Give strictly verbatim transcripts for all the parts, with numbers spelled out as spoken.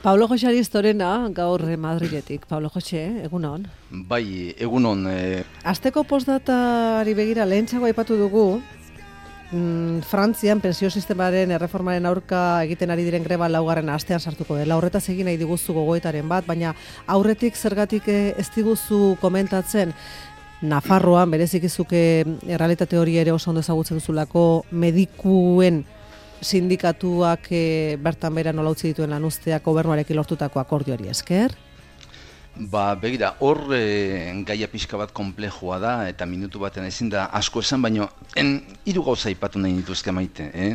Pablo Jose Aristorena, gaur Madriletik. Pablo Jose, egunon? Bai, egunon. Eh... Asteko postdatari begira lehentxago aipatu dugu, mm, Frantzian pentsio sistemaren erreformaren aurka egiten ari diren greba laugarren astean sartuko dela. Horretaz egin nahi diguzu gogoetaren bat, baina aurretik zergatik ez diguzu komentatzen Nafarroan, berezik izuke errealitate hori ere oso ondo ezagutzen duzulako, medikuen sindikatuak e, bertan bera nola utzi dituen lan usteak gobernuarekin lortutako akordioari esker? Ba, begira, hor e, gaia pixka bat konplexua da, eta minutu baten ezin da asko esan, baino hiru gauza aipatu nahi dituzke Maite. Eh?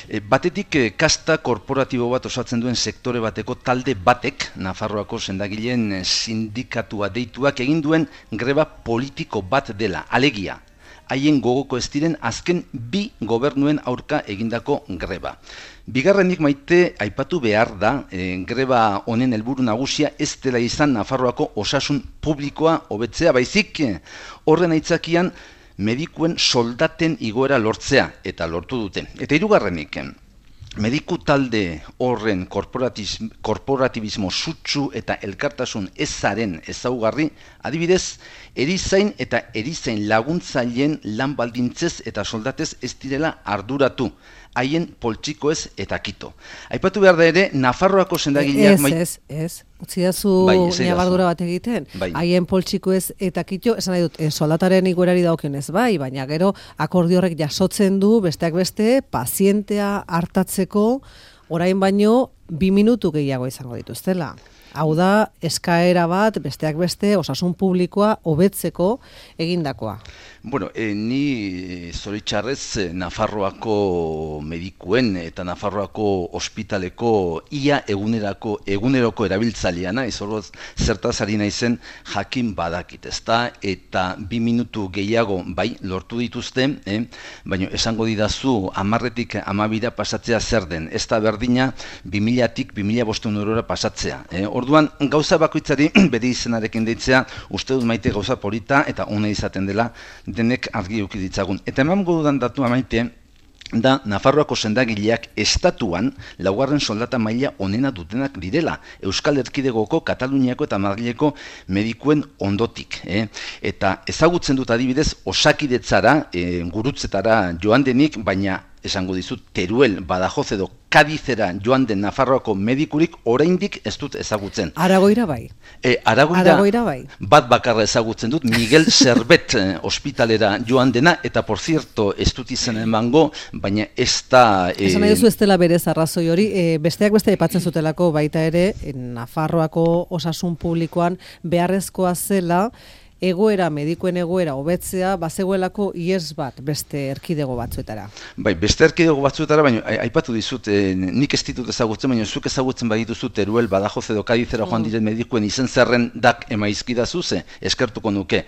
E, batetik, e, kasta korporatibo bat osatzen duen sektore bateko talde batek, Nafarroako sendagileen sindikatua deituak egin duen greba politiko bat dela, alegia. Haien gogoko ez diren azken bi gobernuen aurka egindako greba. Bigarrenik Maite aipatu behar da, e, greba honen helburu nagusia ez dela izan Nafarroako osasun publikoa hobetzea, baizik horren aitzakian medikuen soldaten igoera lortzea, eta lortu dute. Eta hirugarrenik, mediku talde horren korporatibismo sutsu eta elkartasun ezaren ezaugarri, adibidez, erizain eta erizain laguntzaileen lan baldintzez eta soldatez ez direla arduratu, haien poltsikoez eta kito. Aipatu behar da ere, Nafarroako sendagileak... Ez, ez, ez. Utzidazu nabardura bat egiten. Haien poltsikoez eta kito, esan nahi dut, soldataren iguerari daukionez bai, baina gero akordio horrek jasotzen du, besteak beste, pazientea hartatzeko, orain baino, bi minutu gehiago izango dituztela. Hau da, eskaera bat, besteak beste, osasun publikoa hobetzeko egindakoa. Bueno, eh, ni zoritxarrez Nafarroako medikuen eta Nafarroako ospitaleko ia egunerako, eguneroko erabiltzaileana, izorroz zertaz ari naizen jakin badakit, ezta? Eta bi minutu gehiago bai lortu dituzte, eh? Baina esango didazu hamarretik hamabira pasatzea zer den, ez da berdina bi milatik bi mila bostehun eurora pasatzea. Eh? Orduan, gauza bakoitzari bere izenarekin deitzea, uste dut Maite gauza polita eta ona izaten dela denek argi eduki ditzagun. Eta emango dudan datua Maite, da Nafarroako sendagileak estatuan laugarren soldata maila onena dutenak direla, Euskal Erkidegoko, Kataluniako eta Madrileko medikuen ondotik. Eh? Eta ezagutzen dut adibidez Osakidetzara, eh, gurutzetara joan denik, baina esango dizut, Teruel, Badajoz edo Kadizera joan den Nafarroako medikurik oraindik ez dut ezagutzen. Aragoira bai. E, Aragoira, Aragoira bai. Bat bakarra ezagutzen dut, Miguel Zerbet ospitalera joan dena, eta por cierto, ez dut izen emango, baina ez da... E... Esan nahi duzu ez dela berez arrazoi hori, e, besteak beste aipatzen zutelako baita ere, Nafarroako osasun publikoan beharrezkoa zela, egoera, medikuen egoera hobetzea, bazegoelako ihes bat beste erkidego batzuetara. Bai, beste erkidego batzuetara, baina aipatu dizut, eh, nik ez ditut ezagutzen, baina zuk ezagutzen badituzu Teruel, Badajoz edo Kadizera joan diren medikuen izen zerren dak emaizkidazu ze, eskertuko nuke.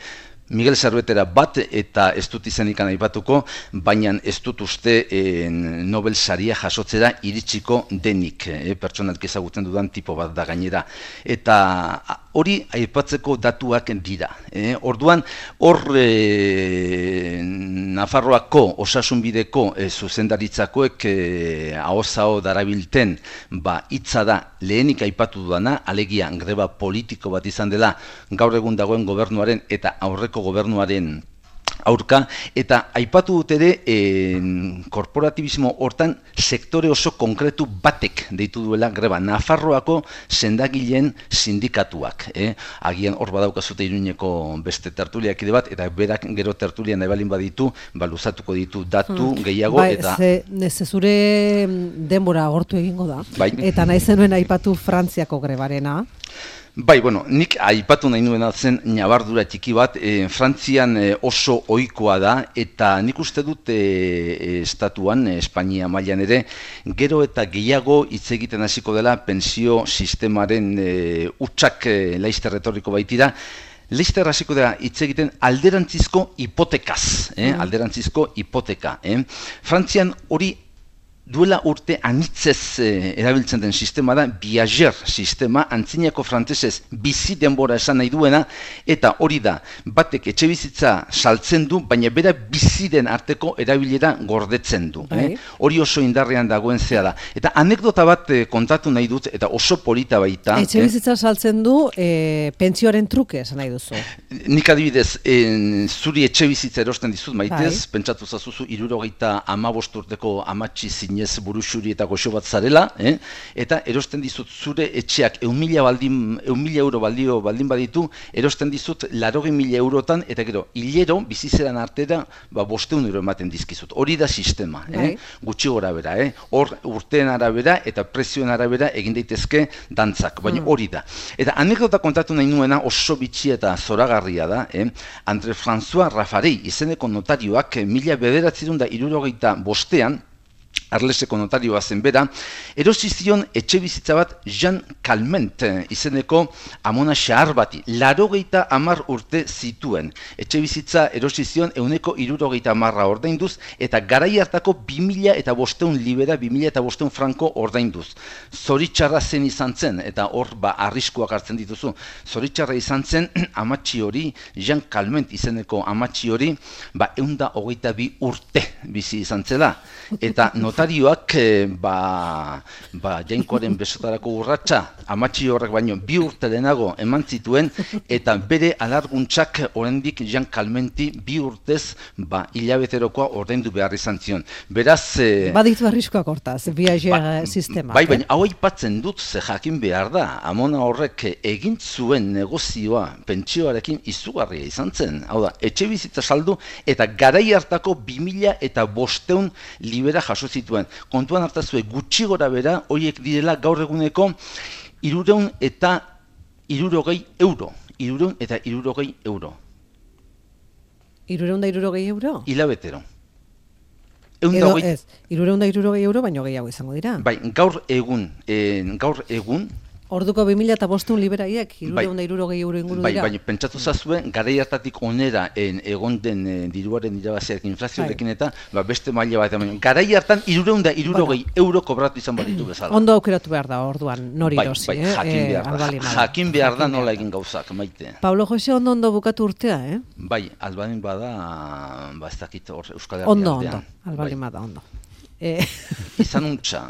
Miguel Zerbetera bat eta ez dut izenik aipatuko, baina ez dut uste e, Nobel saria jasotzera iritsiko denik, e, pertsonalki ezagutzen dudan tipo bat da gainera. Eta hori aipatzeko datuak dira. E, orduan, hor e, Nafarroako osasunbideko e, zuzendaritzakoek e, ahoz-aho darabilten ba, hitza da lehenik aipatu dudana, alegia greba politiko bat izan dela gaur egun dagoen gobernuaren eta aurreko gobernuaren aurka, eta aipatu dut ere eh, korporatibismo hortan sektore oso konkretu batek deitu duela greba, Nafarroako sendagileen sindikatuak. Eh? Agian hor badaukazute Iruñeko beste tertuliak ide bat, eta berak gero tertulia nahi balin baditu, baluzatuko ditu datu hmm. gehiago. Ba, eta... ze zure denbora agortu egingo da, bai. Eta nahi zenuen aipatu Frantziako grebarena. Bai, bueno, nik aipatu nahi nuen zen ñabardura txiki bat, e, Frantzian e, oso ohikoa da, eta nik uste dut e, e, estatuan, e, Espainia mailan ere, gero eta gehiago hitz egiten hasiko dela pentsio sistemaren e, utxak e, laizter retoriko baitira, Leister hasiko da hitz egiten alderantzizko hipotekaz, eh? alderantzizko hipoteka. Eh? Frantzian hori duela urte anitzez eh, erabiltzen den sistema da viager sistema, antzinako frantsesez bizi denbora esan nahi duena, eta hori da, batek etxe bizitza saltzen du, baina bera biziren arteko erabilera gordetzen du. Eh? Hori oso indarrean dagoen zea da. Eta anekdota bat eh, kontatu nahi dut, eta oso polita baita. Etxe bizitza eh? saltzen du eh, pentsioaren truke esan nahi duzu. Nik adibidez, eh, zuri etxe bizitza erosten dizut maitez, bai. Pentsatu zazuzu hirurogeita hamabost urteko amatxi zinez buruxuri eta goxo bat zarela, eh? Eta erosten dizut zure etxeak ehun mila baldin, ehun mila euro baldio baldin baditu, erosten dizut laurogei mila eurotan, eta gero, hilero, bizizeran artera, ba, bosteun euro ematen dizkizut. Hori da sistema, eh? Gutxi gora bera, eh? Hor urteen arabera eta prezioen arabera egin daitezke dantzak, baina hori da. Eta anekdota kontatu nahi nuena oso bitxi eta zoragarria da, eh? Andre François Raffarei izeneko notarioak mila bederatzerun da hirurogeita bostean, Arleseko notarioa zen bera, erosi zion etxe bizitza bat Jean Calment izeneko amona xahar bati, larogeita hamar urte zituen. Etxe bizitza erosi zion ehuneko hirurogeita hamarra ordainduz, eta garai hartako bi mila eta bosteun libera, bi mila eta bosteun franko ordainduz. Zoritxarra zen izan zen, eta hor ba arriskuak hartzen dituzu. Zoritxarra izan zen amatxi hori, Jean Calment izeneko amatxi hori, ba ehunda hogeita bi urte bizi izan zela. Eta notarioak ba, ba jainkoaren besotarako urratsa amatxi horrek baino bi urte lehenago eman zituen, eta bere alarguntzak oraindik Jean Calmenti bi urtez ba hilabeterokoa ordaindu behar izan zion. Beraz e, baditu arriskuak hortaz, viager ba, sistema. Bai, baina hau aipatzen dut, ze jakin behar da, amona horrek egin zuen negozioa pentsioarekin izugarria izan zen. Hau da, etxe bizitza saldu eta garai hartako bi mila eta bosteun libera jaso zituen. Kontuan hartazue gutxi gora bera, horiek direla gaur eguneko hirureun eta hirurogei euro. Hirureun eta hirurogei euro. Hirureun da hirurogei euro? Hilabetero. Edo ez, hirureun da hirurogei euro baino gehiago izango dira. Bai, gaur egun, eh, gaur egun, orduko bi mila eta bosteun liberaiek, hirureun da hirurogei euro inguru dira. Bai, baina pentsatu zazue, garai hartatik onera en, egon den e, diruaren irabaziak inflazioarekin eta ba, beste maila bat. Garai hartan hirureun da hirurogei euro kobratu izan baditu bezala. Ondo aukeratu behar da orduan, nori bai, erosi. Bai, eh? jakin behar da, e, jakin behar da nola egin gauzak, maite. Pablo Jose ondo ondo bukatu urtea, eh? Bai, albalin bada, ba ez dakit hor Euskal Herria ondo, aldean. Ondo, albalin bada, ondo. Izan untxa.